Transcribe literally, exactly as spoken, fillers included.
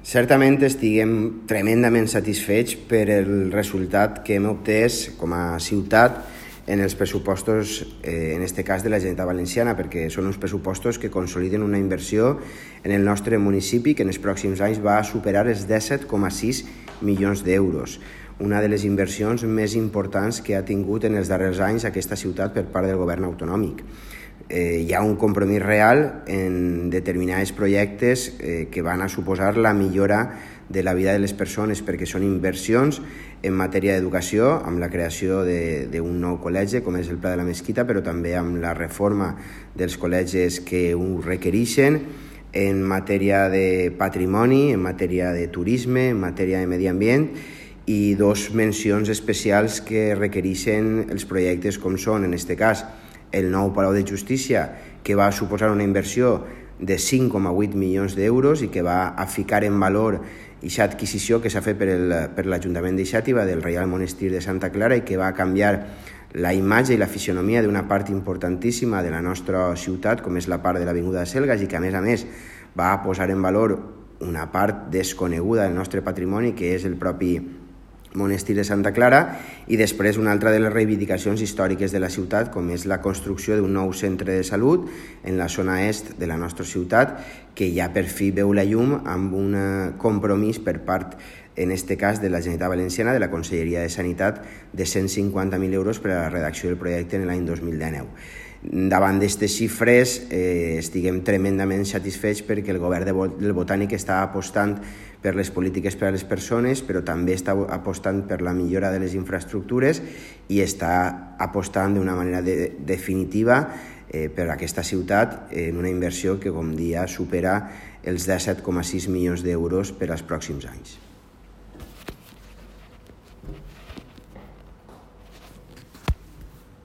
Certament estiguem tremendament satisfets per el resultat que hem obtès com a ciutat en els pressupostos, eh, en aquest cas de la Generalitat Valenciana, perquè són uns pressupostos que consoliden una inversió en el nostre municipi que en els pròxims anys va superar els disset coma sis milions d'euros. Una de les inversions més importants que ha tingut en els darrers anys aquesta ciutat per part del govern autonòmic. Eh, hi ha un compromís real en determinats projectes eh, que van a suposar la millora de la vida de les persones, perquè són inversions en matèria d'educació, amb la creació d'un nou col·legi, com és el Pla de la Mesquita, però també amb la reforma dels col·legis que ho requereixen, en matèria de patrimoni, en matèria de turisme, en matèria de medi ambient, i dos mencions especials que requereixen els projectes com són, en aquest cas, el nou Palau de Justícia, que va suposar una inversió de cinc coma vuit milions d'euros i que va a ficar en valor aquesta adquisició que s'ha fet per, el, per l'Ajuntament de Xàtiva del Reial Monestir de Santa Clara i que va canviar la imatge i la fisionomia d'una part importantíssima de la nostra ciutat, com és la part de l'Avinguda de Selgas, i que a més a més va a posar en valor una part desconeguda del nostre patrimoni, que és el propi Monestir de Santa Clara, i després una altra de les reivindicacions històriques de la ciutat, com és la construcció d'un nou centre de salut en la zona est de la nostra ciutat, que ja per fi veu la llum amb un compromís per part, en aquest cas, de la Generalitat Valenciana, de la Conselleria de Sanitat, de cent cinquanta mil euros per a la redacció del projecte en l'any dos mil dinou. Davant d'aquestes xifres eh, estiguem tremendament satisfets perquè el govern del Botànic està apostant per les polítiques per a les persones, però també està apostant per la millora de les infraestructures i està apostant d'una manera de, definitiva eh, per a aquesta ciutat en una inversió que, com dia, supera els disset coma sis milions d'euros per als pròxims anys.